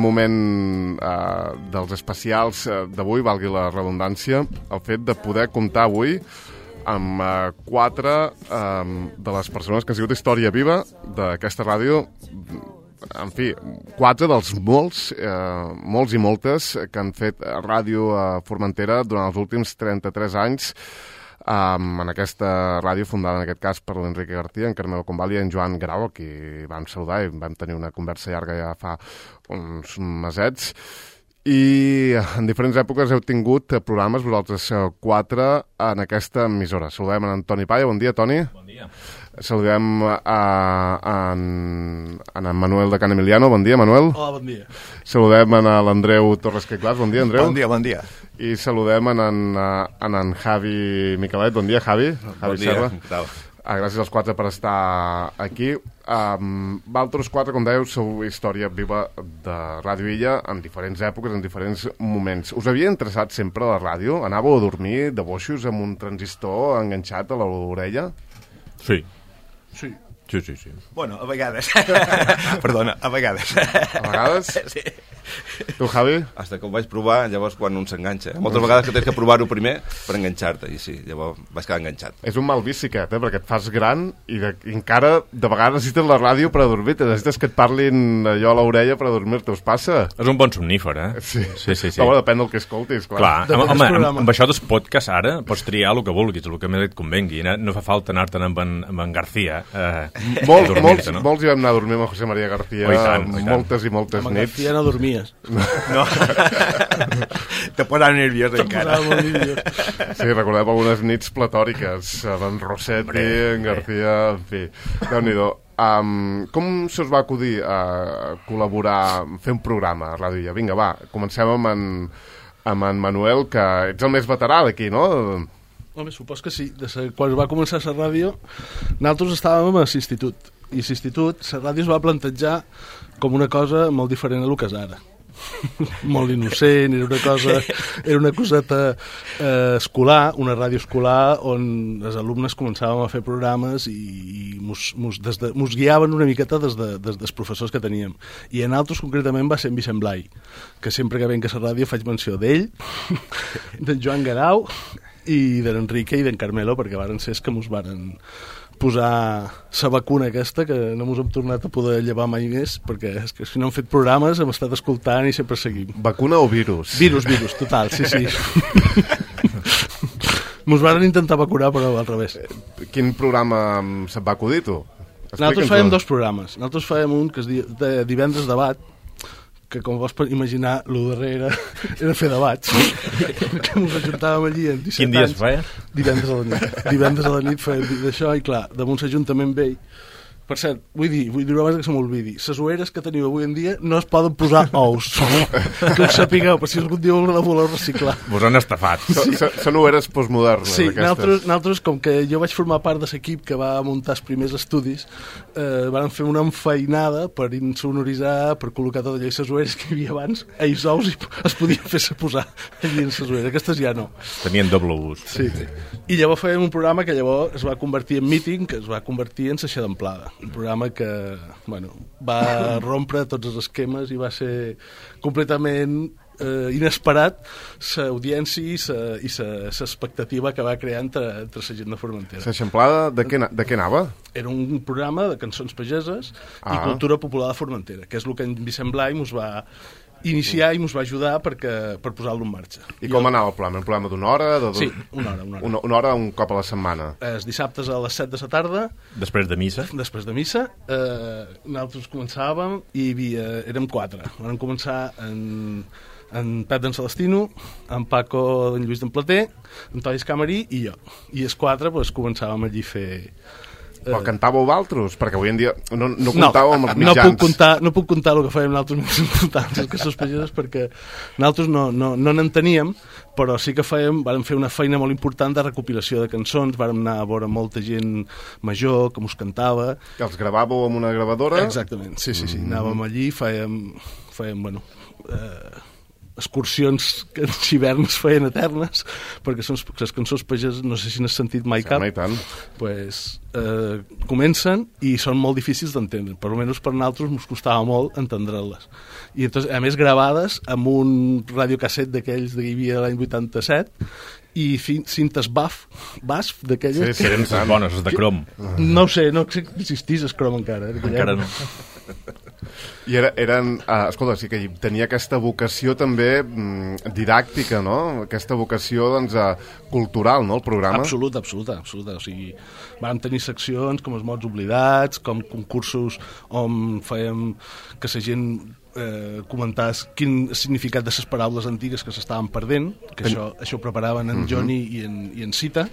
moment dels especials d'avui, valgui la redundància, el fet de poder comptar avui amb 4 de les persones que han sigut història viva d'aquesta ràdio. En fi, 4 dels molts i moltes que han fet ràdio a Formentera durant els últims 33 anys, en aquesta ràdio fundada en aquest cas per l'Enrique García, en Carmelo Convalli i en Joan Grau, a qui vam saludar i vam tenir una conversa llarga ja fa uns mesets. I en diferents èpoques heu tingut programes, vosaltres 4, en aquesta emissora. Saludem en Toni Palla. Bon dia, Toni. Bon dia. Saludem en Manuel de Can Emiliano. Bon dia, Manuel. Hola, bon dia. Saludem en l'Andreu Torres Queclàs. Bon dia, Andreu. Bon dia. I saludem en Javi Miquelet. Bon dia, Javi. Bon dia, què tal? Gràcies als 4 per estar aquí. Vosaltres 4, com dèieu, sou història viva de Ràdio Illa en diferents èpoques, en diferents moments. Us havia interessat sempre la ràdio? Anàveu a dormir de boixos amb un transistor enganxat a l'orella? Sí. Sí. Sí. Bueno, a vegades. Perdona, a vegades. A vegades? Sí. Tu, Javi? Hasta que ho vaig provar, llavors quan un s'enganxa. Moltes vegades que tens que provar-ho primer per enganxar-te, i sí, llavors vaig quedar enganxat. És un mal vici aquest, perquè et fas gran i encara de vegades necessites la ràdio per a dormir-te, necessites que et parlin allò a l'orella per a dormir-te. Us passa? És un bon somnífer, Sí. Però bueno, depèn del que escoltis, clar. Home, amb això dels podcasts ara pots triar el que vulguis, el que més et convengui. No fa falta anar-te'n amb en García Molts hi vam anar a dormir amb José María García moltes i moltes amb nits. García no dormies. No. Te posava nerviós encara. Sí, recordem algunes nits platòriques d'en Rossetti, en García, en fi, Déu-n'hi-do. Com se us va acudir a col·laborar, fer un programa a Ràdio Illa? Vinga, va, comencem amb en Manuel, que ets el més veterà d'aquí, no? Home, supos que sí. Quan va començar la ràdio, nosaltres estàvem a l'institut. I a l'institut, la ràdio es va plantejar com una cosa molt diferent a lo que és ara. Molt innocent, era una coseta escolar, una ràdio escolar on els alumnes començàvem a fer programes i mos guiaven una miqueta des dels professors que teníem. I en altres concretament va ser en Vicent Blai, que sempre que venc a la ràdio faig menció d'ell, d'en Joan Garau i de l'Enrique i d'en Carmelo, perquè varen ser els que mos varen posar la vacuna aquesta, que no mos hem tornat a poder llevar mai més, perquè és que si no hem fet programes hem estat escoltant i sempre seguim. Vacuna o virus? Virus, total, sí. Mos varen intentar vacunar, però al revés. Quin programa se't va acudir, tu? Nosaltres fèiem 2 programes. Nosaltres fèiem un que es diu Divendres Debat, que com vols imaginar, el darrer era fer debats, que ens ajuntàvem allí en 17 anys. Quin dia es feia? Divendres a la nit feia d'això, i clar, damunt l'Ajuntament vell. Per cert, vull dir abans que se m'olvidi, les oeres que teniu avui en dia no es poden posar ous, que ho sapigueu, per si algun dia la voleu reciclar. Vos han estafat. Són oeres postmodernes. Sí, nosaltres, com que jo vaig formar part de l'equip que va muntar els primers estudis, van fer una enfeinada per insonoritzar, per col·locar tot allò i les oeres que hi havia abans, ells ous es podien fer-se posar allí en les oeres, aquestes ja no. Tenien doble ús. Sí. I llavors fèiem un programa que llavors es va convertir en Meeting, que es va convertir en Seixà d'Amplada. Un programa que va rompre tots els esquemes i va ser completament inesperat l'audiència i l'expectativa que va crear entre la gent de Formentera. L'Eixamplada de què anava? Era un programa de cançons pageses i cultura popular de Formentera, que és el que en Vicent Blai mos va iniciar i ens va ajudar per posar-lo en marxa. I com anava el programa? Un programa d'una hora? Sí, una hora. Una hora un cop a la setmana? Els dissabtes a les 7 de la tarda. Després de missa? Després de missa. Nosaltres començàvem i érem 4. Vam començar en Pep d'en Celestino, en Paco d'en Lluís d'en Plater, en Toni Escamarí i jo. I els 4 començàvem allí a fer... Però cantàveu d'altres? Perquè avui en dia no comptàveu amb els mitjans. No puc contar el que fèiem nosaltres més importants, que són pageses, perquè nosaltres no n'enteníem, però sí que vàrem fer una feina molt important de recopilació de cançons, vàrem anar a veure molta gent major que mos cantava. Que els gravàveu amb una gravadora? Exactament, sí. Anàvem allí, fèiem excursions que els hiverns feien eternes, perquè són les cançons pageses, no sé si n'has sentit mai cap. I tant. Pues, comencen i són molt difícils d'entendre, per almenys per nosaltres ens costava molt entendre-les. I entonces, a més gravades amb un radiocasset d'aquells que hi havia l'any 87 i cintes BASF d'aquelles. Sí, eren bones, de crom. No ho sé, no sé que existís el crom encara. Encara no. I eren, escolta, sí que tenia aquesta vocació també didàctica, no? Aquesta vocació, doncs, cultural, no?, el programa. Absoluta. O sigui, vam tenir seccions com els mots oblidats, com concursos on fèiem que la gent comentàs quin significat de les paraules antigues que s'estaven perdent, que això ho preparaven en Johnny i en Cita,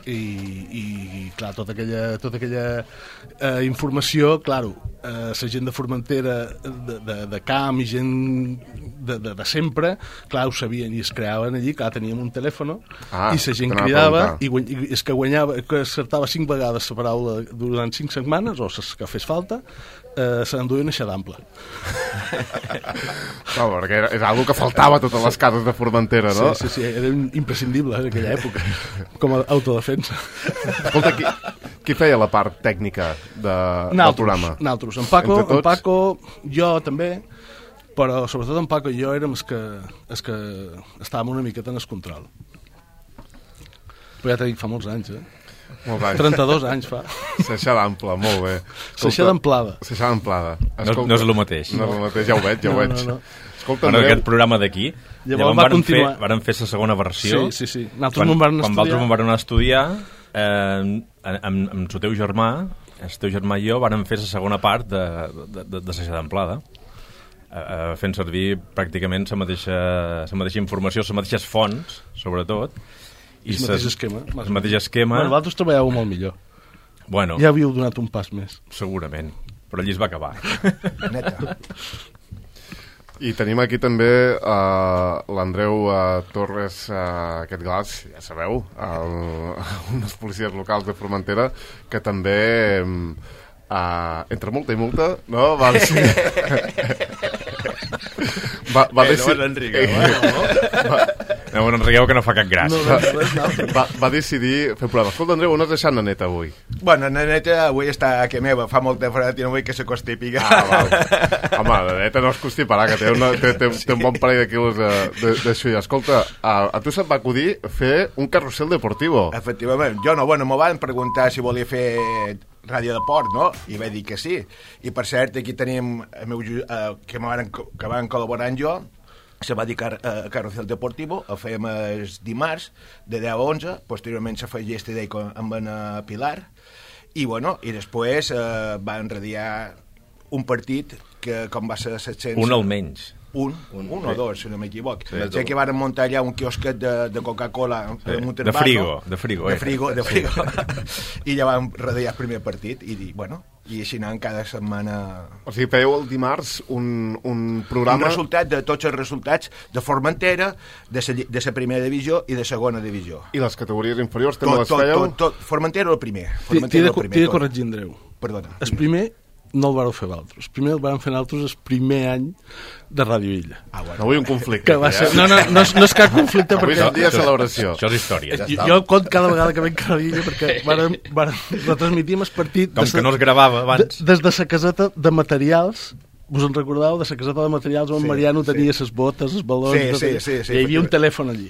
i clar, tota aquella informació, claro, la gent de Formentera, de camp i gent de sempre, clar, ho sabien i es creaven allí, clar, teníem un telèfon i la gent cridava i és que guanyava, que acertava 5 vegades la paraula durant 5 setmanes o les que fes falta, se n'enduien a d'ample. No, perquè és una que faltava a totes les cases de Formentera, no? Sí, era imprescindible en aquella època, com a autodefensa. Escolta, qui feia la part tècnica del programa? Nosaltres. En Paco, jo també, però sobretot en Paco i jo érem els que estàvem una miqueta en el control. Però ja t'he dit, fa molts anys, 32 anys fa. Seixar d'ample, molt bé. Seixar d'amplada. No és el mateix. No és el mateix, ja ho veig. No. Escolta, bueno, aquest programa d'aquí, llavors varen fer la segona versió. Sí. Quan vosaltres me'n varen estudiar, amb el teu germà i jo varen fer la segona part de Seixar d'amplada, fent servir pràcticament la mateixa informació, les mateixes fonts, sobretot, i el mateix esquema. Bueno, vosaltres treballàveu molt millor. Bueno, ja havíeu donat un pas més. Segurament, però allí es va acabar. Neta. I tenim aquí també l'Andreu Torres, aquest glas, ja sabeu, un dels policies locals de Formentera, que també, entre multa i multa, no? Va decidir... No m'enrigueu que no fa cap gràcia. Va decidir fer programa. Escolta, Andreu, on has deixat la neta avui? Bueno, la neta avui està a que meva, fa molta fred i no vull que se constipi. Home, la neta no es constiparà, que té un bon parell de quilos d'això. Escolta, a tu se't va acudir fer un carrusel deportivo. Efectivament. Jo no, bueno, m'ho van preguntar si volia fer ràdio de port, no? I vaig dir que sí. I per cert, aquí tenim que van col·laborar amb jo, se va dir Carrusel Deportivo, el fèiem els dimarts de 10 a 11, posteriorment se feia este day amb en Pilar, i bueno, i després va enradiar un partit que com va ser 700... Un almenys. Un o dos, si no m'equivoc. Sé que van muntar allà un quiosquet de Coca-Cola de frigo. I ja vam radiar el primer partit i bueno, i així anant cada setmana. O sigui, fèieu el dimarts un programa... Un resultat de tots els resultats de Formentera, de la primera divisió i de segona divisió. I les categories inferiors també les fèieu? Tot. Formentera el primer. T'he de corregir, Andreu. Perdona. El primer no el vareu fer vosaltres. Primer el vam fer nosaltres el primer any de Ràdio Illa. Bueno. No vull un conflicte. Que va ser... No és cap conflicte avui perquè... és el dia de celebració. Això és història. Jo conto cada vegada que venc a Ràdio Illa perquè retransmitíem el partit... Com que no es gravava abans. Des de la caseta de materials... Vos en recordeu? De la caseta de materials on Mariano tenia les botes, els balons... Sí. I hi havia un telèfon allí.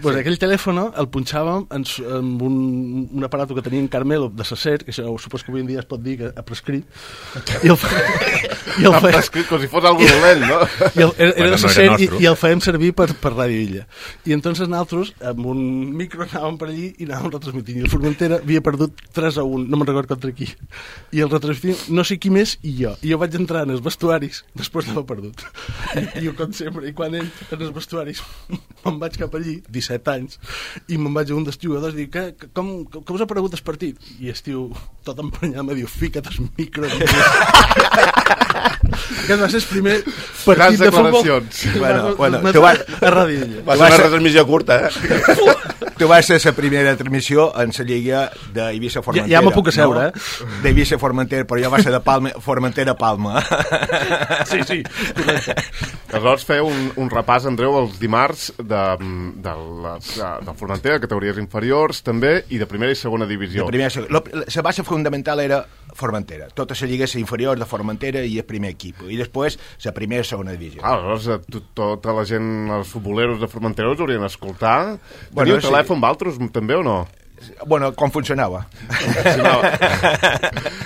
Pues aquell telèfon el punxàvem amb un aparat que tenia en Carmelo de Sacer, que això supos que avui en dia es pot dir que ha prescrit, i el ha prescrit com si fos algú dolent, no? Era de Sacer i el fèiem servir per Ràdio Illa. I entonces nosaltres amb un micro anàvem per allí i anàvem retransmitint, i el Formentera havia perdut 3-1, no me'n record contra qui, i el retransmitint no sé qui més i jo vaig entrar en els vestuaris després d'haver perdut, i jo com sempre, i quan entro en els vestuaris me'n vaig cap allí 17 anys, i me'n vaig a un dels jugadors i dic, com us ha aparegut el partit? I el tio, tot emprenyat, me diu, fica't el micro. Aquest va ser el primer partit de futbol. Grans declaracions. Bueno, a Ràdio Illa. Va ser una retransmissió curta, tu vas ser la primera transmissió en la lliga d'Eivissa-Formentera. Ja m'ho puc asseure, D'Eivissa-Formentera, però jo va ser de Formentera-Palma. Sí. Aleshores feia un repàs, Andreu, els dimarts de Formentera, categories inferiors també, i de primera i segona divisió. La base fundamental era Formentera. Tota la lliga és inferior de Formentera i el primer equip. I després la primera i segona divisió. Aleshores, tota la gent, els futboleros de Formentera us haurien d'escoltar. Teniu telèfon vosaltres també o no? Bueno, com funcionava?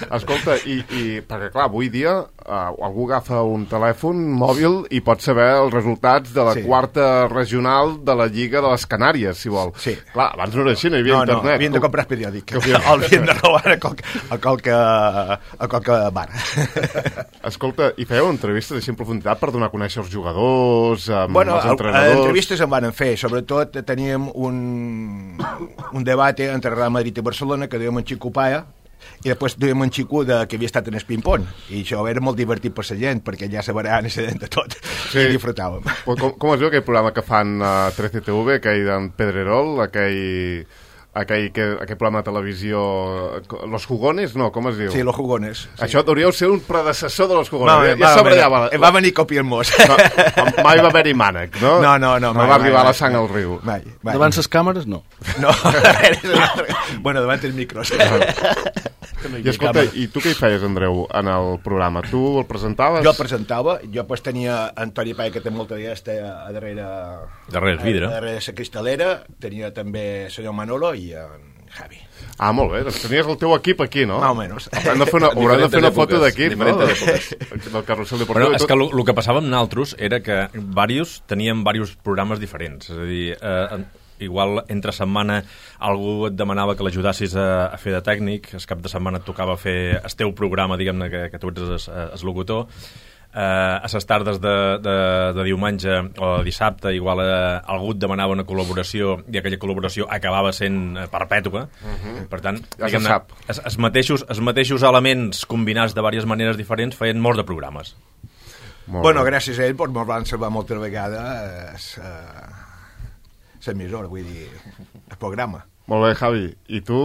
Escolta, i perquè clar, avui dia algú agafa un telèfon mòbil i pot saber els resultats de la quarta regional de la Lliga de les Canàries, si vol. Sí. Clar, abans no era així, no hi havia internet. No, havien de comprar el periòdic. Havien de robar a qualque bar. Escolta, i fèieu entrevistes així en profunditat per donar a conèixer els jugadors, els entrenadors? Entrevistes en van fer, sobretot teníem un debat entre Real Madrid i Barcelona, que dèiem en Xico Paia, i després dèiem en Xico que havia estat en el ping-pong, i això era molt divertit per la gent, perquè ja sabran i sabent de tot, i disfrutàvem. Com es diu aquell programa que fan a 13TV, aquell d'en Pedrerol, aquell programa de televisió, Los Jugones, no, com es diu? Sí, Los Jugones. Sí. Això hauríeu ser un predecessor de Los Jugones. Va venir copiant-mos. Mai va haver-hi mànec, no? No. No va arribar la sang al riu. Mai. Davant les càmeres, no. No, bueno, davant els micros. I escolta, i tu què hi feies, Andreu, en el programa? Tu el presentaves? Jo el presentava, jo pues tenia Antoni Paia, que té molta diesta a darrere el vidre. Darrere la cristalera, tenia també el senyor Manolo i en Javi. Ah, molt bé, doncs tenies el teu equip aquí, no? Más o menos. Hauran de fer una foto d'equip, no? Del carrusel deportiu. Però és que el que passava amb nosaltres era que teníem diversos programes diferents, és a dir, igual entre setmana algú et demanava que l'ajudassis a fer de tècnic, el cap de setmana et tocava fer el teu programa, diguem-ne, que tu ets el locutor. A les tardes de diumenge o de dissabte igual algú et demanava una col·laboració i aquella col·laboració acabava sent perpètua. Per tant, diguem-ne, els mateixos elements combinats de diverses maneres diferents feien molts de programes. Bueno, gràcies a ell ens van salvar moltes vegades l'emissora, vull dir, el programa. Molt bé, Javi. I tu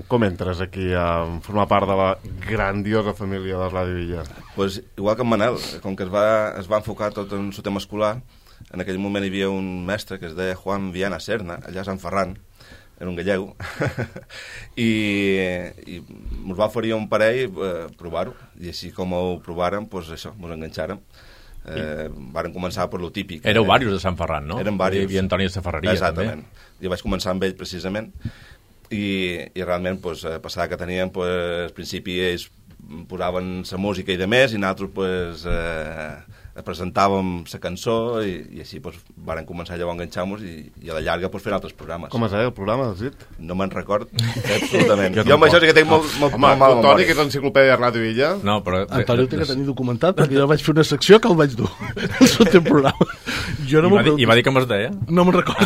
com entres aquí a formar part de la grandiosa família de Ràdio Illa? Pues igual que en Manel, com que es va enfocar tot en el tema escolar, en aquell moment hi havia un mestre que es deia Juan Viana Serna, allà a Sant Ferran, era un gallego, i ens va oferir un parell provar-ho, i així com ho provàrem, pues això, ens enganxàrem. Varen començar per lo típic. Éreu diversos de Sant Ferran, no? Eren diversos. Hi havia Antoni de Ferreria. Exactament. També. Jo vaig començar amb ell precisament i realment passada que teníem, al principi ells posaven la música i de més i nosaltres presentàvem la cançó i així varen començar llavors a enganxar-nos i a la llarga fer altres programes. Com es deia el programa, has dit? No me'n record absolutament. Jo amb això sí que tinc molt mala memòria. Toni, que és l'enciclopèdia de Ràdio Illa. No, però... Antoni ho té que tenir documentat, perquè jo vaig fer una secció que el vaig dur al teu programa. I va dir com es deia? No me'n recordo.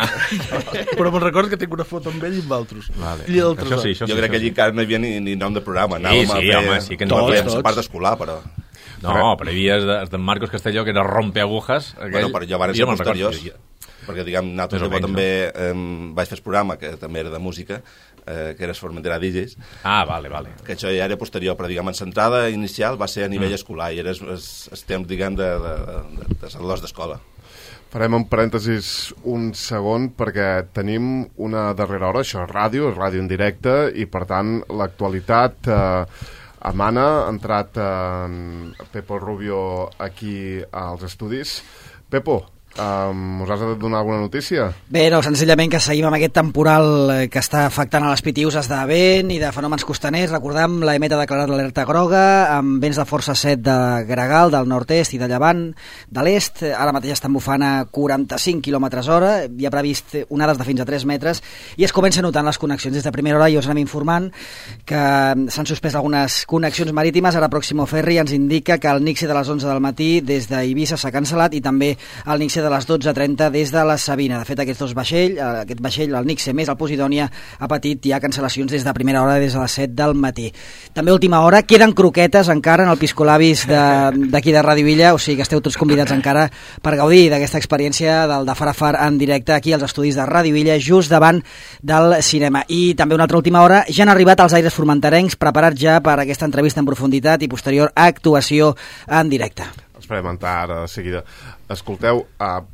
Però me'n recordo que tinc una foto amb ell i amb altres. Això sí. Jo crec que allí encara no hi havia ni nom de programa. Sí, que ens fèiem la part d'escolar, però... No, però hi havia el de Marcos Castelló, que era Rompeagujas. Bueno, però jo van ser posteriors, perquè, diguem, nosaltres també vaig fer el programa, que també era de música, que era Formentera DJs. Ah, vale. Que això ja era posterior, però, diguem, en l'entrada inicial va ser a nivell escolar, i era el temps, diguem, de l'os d'escola. Farem un parèntesis un segon perquè tenim una darrera hora, això és ràdio en directe, i per tant l'actualitat... Amana, ha entrat Pepo Rubio aquí als estudis. Pepo, us has de donar alguna notícia? Bé, no, senzillament que seguim amb aquest temporal que està afectant a les Pitiüses de vent i de fenòmens costaners. Recordem, l'EMET ha declarat l'alerta groga amb vents de força 7 de gregal, del nord-est i de llevant de l'est. Ara mateix estan bufant a 45 km/h, hi ha previst onades de fins a 3 metres i es comença notant les connexions. Des de primera hora i us anem informant que s'han suspès algunes connexions marítimes. Ara Próximo Ferry ens indica que el Nixie de les 11 del matí des d'Eivissa s'ha cancel·lat i també el Nixie de de les 12:30 des de la Sabina. De fet, aquest vaixell, el Nixe més el Posidònia, ha patit ja cancel·lacions des de primera hora, des de les 7 del matí. També a última hora, queden croquetes encara en el Piscolabis d'aquí de Ràdio Illa, o sigui que esteu tots convidats encara per gaudir d'aquesta experiència del de Far a Far en directe aquí als estudis de Ràdio Illa, just davant del cinema. I també una altra última hora, ja han arribat els aires formenterencs, preparats ja per aquesta entrevista en profunditat i posterior actuació en directe. Esperem entrar ara de seguida. Escolteu,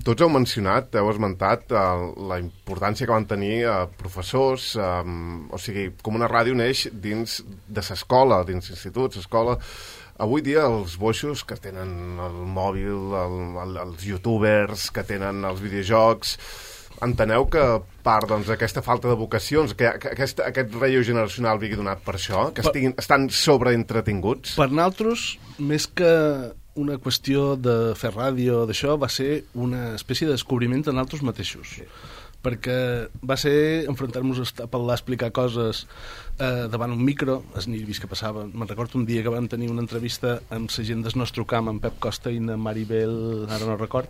tots heu esmentat la importància que van tenir professors, o sigui, com una ràdio neix dins de l'escola, dins d'instituts, escola. Avui dia els boixos que tenen el mòbil, els youtubers, que tenen els videojocs, enteneu que part d'aquesta falta de vocacions, que aquest relleu generacional vingui donat per això, que estan sobreentretinguts? Per nosaltres, més que una qüestió de fer ràdio, d'això, va ser una espècie de descobriment de nosaltres mateixos. Perquè va ser enfrontar-nos a parlar, explicar coses davant un micro, els nervis que passaven. Me'n recordo un dia que vam tenir una entrevista amb la gent del nostre camp, amb Pep Costa i amb Maribel, ara no record,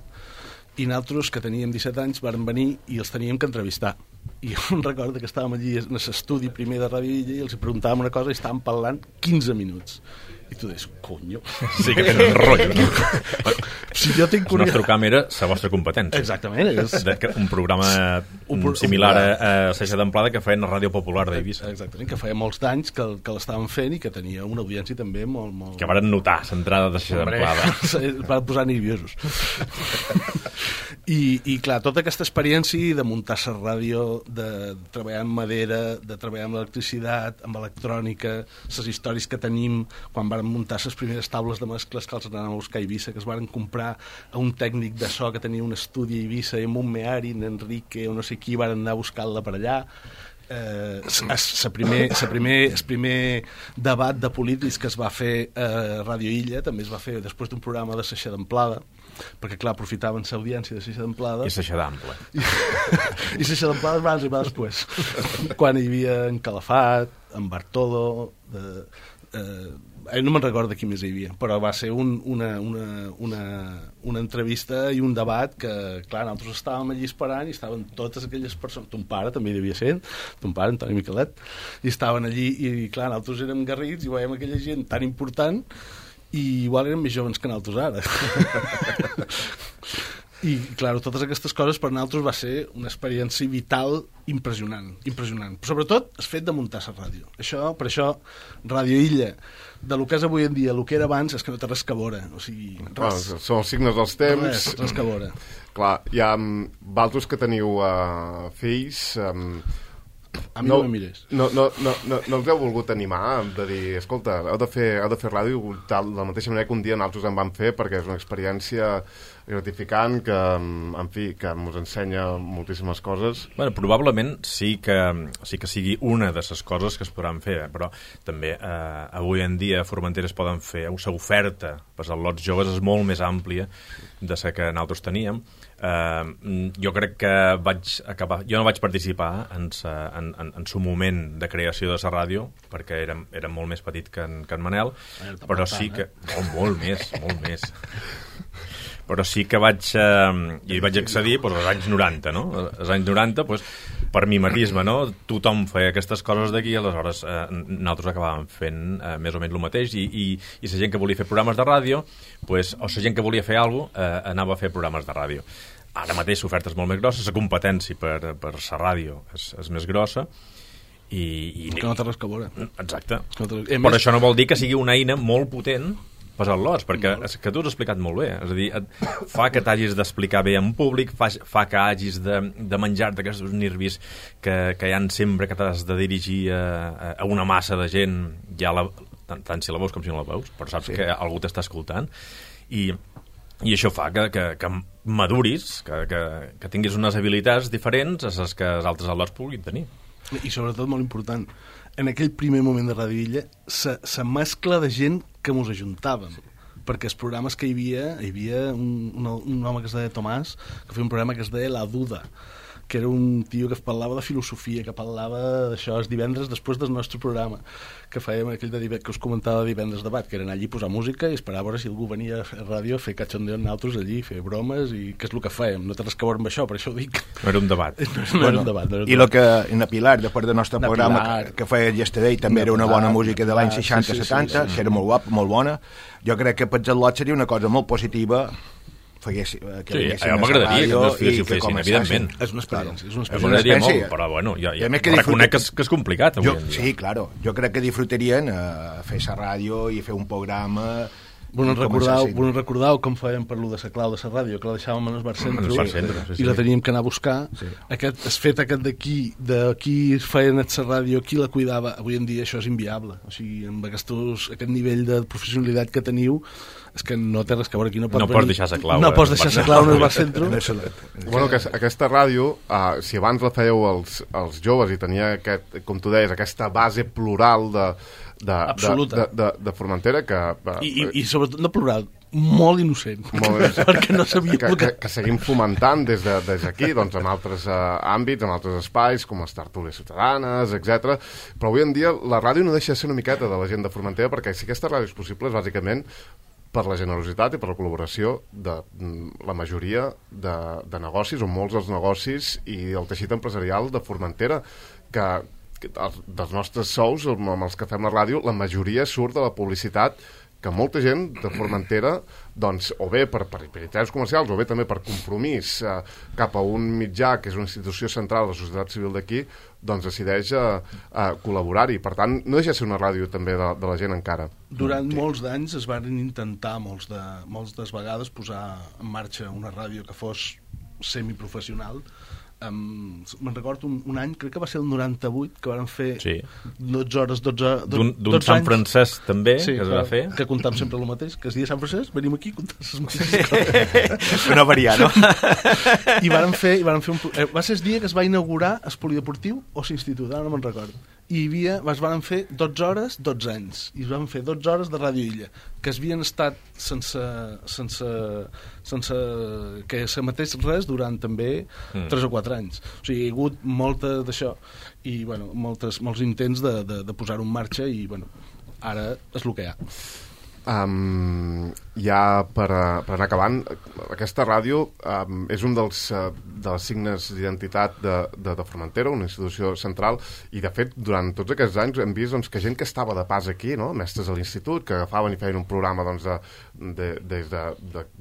i nosaltres, que teníem 17 anys, vàrem venir i els teníem que entrevistar. I jo em recordo que estàvem allí en l'estudi primer de Ràdio Illa i els preguntàvem una cosa i estàvem parlant 15 minuts. I tu deies, conyo. Sí que tenen rotllo, no? Si jo tinc El nostre camp era la vostra competència. Exactament. Un programa similar a Seixa d'Amplada que feien a Ràdio Popular d'Eivissa. Exactament, que feia molts d'anys que l'estaven fent i que tenia una audiència també molt... Que varen notar l'entrada de Seixa d'Amplada. Van posar nerviosos. I clar, tota aquesta experiència de muntar la ràdio, de treballar amb madera, de treballar amb electricitat, amb electrònica, les històries que tenim quan varen muntar les primeres taules de mescles que els anàvem a buscar a Eivissa, que es varen comprar a un tècnic de so que tenia un estudi a Eivissa i amb un Meari, en Enrique o no sé qui, varen anar a buscar-la per allà. El primer debat de polítics que es va fer a Ràdio Illa també es va fer després d'un programa de Seixa d'Amplada, perquè clar, aprofitaven l'audiència de Seixa d'Amplada i Seixa d'Ample i Seixa d'Amplada va arribar després quan hi havia en Calafat, en Bartolo no me'n recordo qui més hi havia, però va ser una entrevista i un debat que, clar, nosaltres estàvem allí esperant i estaven totes aquelles persones, ton pare també hi devia ser, ton pare, Antoni Miquelet, i estaven allí i, clar, nosaltres érem garrits i veiem aquella gent tan important i igual érem més joves que nosaltres ara. I, clar, totes aquestes coses per nosaltres va ser una experiència vital impressionant. Sobretot el fet de muntar la ràdio. Per això, Ràdio Illa, de lo que és avui en dia, el que era abans, és que no té res que veure. O sigui, són els signes dels temps. Res que veure. Clar, hi ha vosaltres que teniu fills... A mi no me mires. No els heu volgut animar de dir, escolta, heu de fer ràdio de la mateixa manera que un dia nosaltres en vam fer, perquè és una experiència gratificant que, en fi, que ens ensenya moltíssimes coses. Bueno, probablement sí que sigui una de les coses que es podran fer, però també avui en dia a Formentera es poden fer, l'oferta per als lots joves és molt més àmplia de la que nosaltres teníem. Jo crec que jo no vaig participar en su moment de creació de la ràdio, perquè era molt més petit que en Manel, però sí que... Molt més. Però sí que hi vaig accedir als anys 90, no? Als anys 90, per mimetisme, no? Tothom feia aquestes coses d'aquí, aleshores nosaltres acabàvem fent més o menys el mateix, i la gent que volia fer programes de ràdio, o la gent que volia fer alguna cosa, anava a fer programes de ràdio. Ara mateix l'oferta és molt més grossa, la competència per la ràdio és més grossa, i que no té res que veure. Exacte. Però això no vol dir que sigui una eina molt potent per als lots, perquè és que tu has explicat molt bé, és a dir, fa que t'hagis d'explicar bé en públic, fa que hagis de menjar-te aquests nervis que hi ha sempre que t'has de dirigir a una massa de gent, tant si la veus com si no la veus, però saps que algú t'està escoltant, i això fa que maduris, que tinguis unes habilitats diferents a les que els altres al·lots puguin tenir. I sobretot, molt important, en aquell primer moment de Ràdio Illa, la mescla de gent que ens ajuntàvem, perquè els programes que hi havia un home que es deia Tomàs, que feia un programa que es deia La Duda, que era un tio que parlava de filosofia, que parlava d'això els divendres després del nostre programa, que fèiem aquell que us comentava de divendres debat, que era anar allí a posar música i esperar a veure si algú venia a ràdio a fer cachondeo amb nosaltres allí, fer bromes, i que és el que fèiem. No té res que veure amb això, per això ho dic. No era un debat. No era un debat. I el que en Pilar, després del nostre programa que feia Yesterday, també era una bona música de l'any 60-70, que era molt guapa, molt bona. Jo crec que per Lot seria una cosa molt positiva que m'agradaria que els fills ho fessin, evidentment. És una experiència. M'agradaria molt, però bueno, jo reconec que és complicat avui en dia. Sí, claro. Jo crec que disfrutarien fer la ràdio i fer un programa. Vos recordeu com fèiem per lo de la clau de la ràdio, que la deixàvem en el bar centre i la teníem que anar a buscar. Es fet aquest d'aquí feien la ràdio, qui la cuidava. Avui en dia això és inviable. O sigui, amb aquest nivell de professionalitat que teniu, és que no té res que veure aquí. No pots deixar la clau. No pots deixar la clau en el bar centre. Bueno, aquesta ràdio, si abans la fèieu els joves i tenia, com tu deies, aquesta base plural de Formentera i sobretot no plural, molt innocent, perquè no sabia que seguim fomentant des d'aquí, doncs en altres àmbits, en altres espais com les tertúlies ciutadanes, etc. Però avui en dia la ràdio no deixa de ser una miqueta de la gent de Formentera, perquè si aquesta ràdio és possible és bàsicament per la generositat i per la col·laboració de la majoria de negocis, o molts dels negocis i el teixit empresarial de Formentera, que dels nostres sous, amb els que fem la ràdio, la majoria surt de la publicitat que molta gent de Formentera, doncs, o bé per interessos comercials, o bé també per compromís cap a un mitjà, que és una institució central de la societat civil d'aquí, doncs decideix col·laborar-hi. Per tant, no deixa de ser una ràdio també de la gent encara. Durant molts d'anys es van intentar moltes vegades posar en marxa una ràdio que fos semiprofessional. Me'n recordo un any, crec que va ser el 98, que van fer 12 hores, 12 d'un Sant Francesc també, que es va fer, que comptam sempre el mateix, que es dia Sant Francesc, venim aquí i comptam les mateixes coses. No varia, no? I van fer va ser el dia que es va inaugurar el polideportiu o l'institut, ara no me'n recordo, i es van fer 12 hores, 12 anys, i es van fer 12 hores de Ràdio Illa, que es havien estat sense que s'emetés res durant també 3 o 4 anys. O sigui, hi ha hagut molta d'això i bueno, molts intents de posar-ho en marxa i bueno, ara és el que hi ha. Ja per anar acabant, aquesta ràdio és un dels signes d'identitat de Formentera, una institució central, i de fet durant tots aquests anys hem vist doncs, que gent que estava de pas aquí, no? Mestres a l'institut, que agafaven i feien un programa doncs, de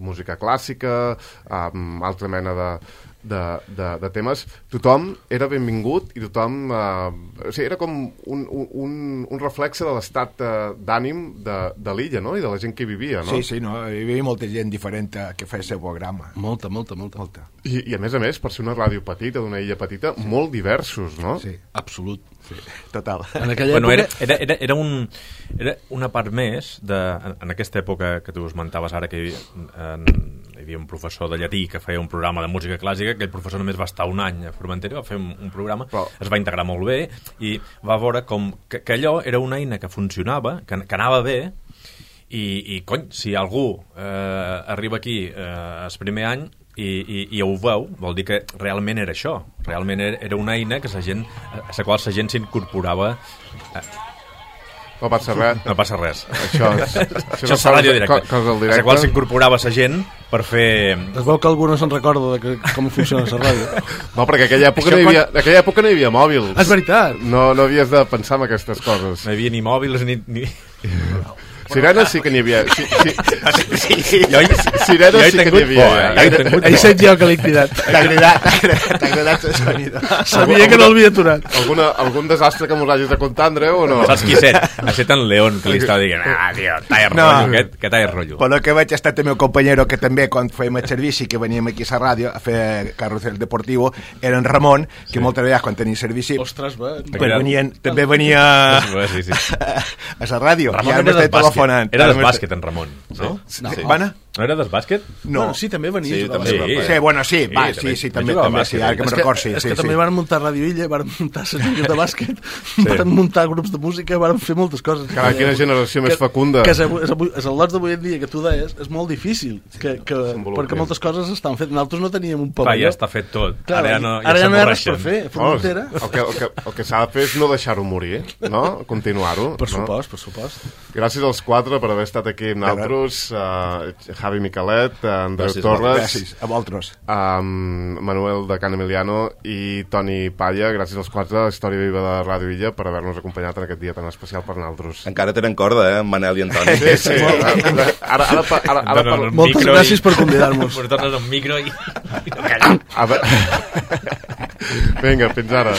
música clàssica, altra mena de temes, tothom era benvingut i tothom o sigui, era com un reflexe de l'estat d'ànim de l'illa, no? I de la gent que hi vivia, no? Sí, no? Hi havia molta gent diferent que feia el programa. Molta. I a més, per ser una ràdio petita, d'una illa petita, molt diversos, no? Sí, absolut. Sí, total. En aquella època... Era una part més en aquesta època que tu esmentaves ara, que hi havia un professor de llatí que feia un programa de música clàssica. Aquell professor només va estar un any a Formentera, va fer un programa, es va integrar molt bé i va veure com que allò era una eina que funcionava, que anava bé, i cony, si algú arriba aquí el primer any i ho veu, vol dir que realment era això, realment era una eina que a la qual la gent s'incorporava. No passa res. No passa res. Això és la ràdio directa. A la qual s'incorporava la gent per fer... Es veu que algú no se'n recorda de com funciona la ràdio. No, perquè aquella època no hi havia mòbils. És veritat. No havies de pensar en aquestes coses. No hi havia ni mòbils ni... Sirenes sí que n'hi havia. Sirenes sí que n'hi havia. He sent jo que l'he cridat. T'ha agradat el sonido. Sabia que no l'havia aturat. Algun desastre que mos hagis de contar, Andreu, o no? Saps qui set? Ha set en León, que li estava dient tio, talla rotllo, que talla rotllo. Per lo que veig ha estat el meu companyero, que també quan fèiem el servici, que veníem aquí a la ràdio a fer carrusel deportivo, era en Ramon, que moltes vegades quan tenia servici també venia a la ràdio. Ramon era del bàsquet, en Ramon. No? Vana? No era del bàsquet? No. Bueno, sí, també venia Sí, a jugar a també. bàsquet. Sí, bueno, sí, va, també. sí, també, Jugava a també, bàsquet, sí, ara que me'n record, sí. És que també van muntar Ràdio Illa, van muntar les lligues de bàsquet, van muntar grups de música, van fer moltes coses. Carai, quina generació més fecunda. Que és el lots d'avui en dia que tu deies, és molt difícil, perquè moltes coses estan fetes. Nosaltres no teníem un Clar, pavelló. ja està fet tot. Clar, Ara no hi ha res per fer. Frontera. El que s'ha de fer és no deixar-ho morir, no? Continuar-ho. Per no? supost. Gràcies als 4 per haver estat aquí amb nosaltres. Javi Miquelet, Andreu Gràcies, Torres, Gràcies, a vosaltres. Manuel de Can Emiliano i Toni Palla. Gràcies als 4 de la Història Viva de Ràdio Illa per haver-nos acompanyat en aquest dia tan especial per nosaltres. Encara tenen corda, en Manel i Antoni. Sí. Ara Moltes gràcies per convidar-nos. Ens tornes un micro i... Vinga, fins ara.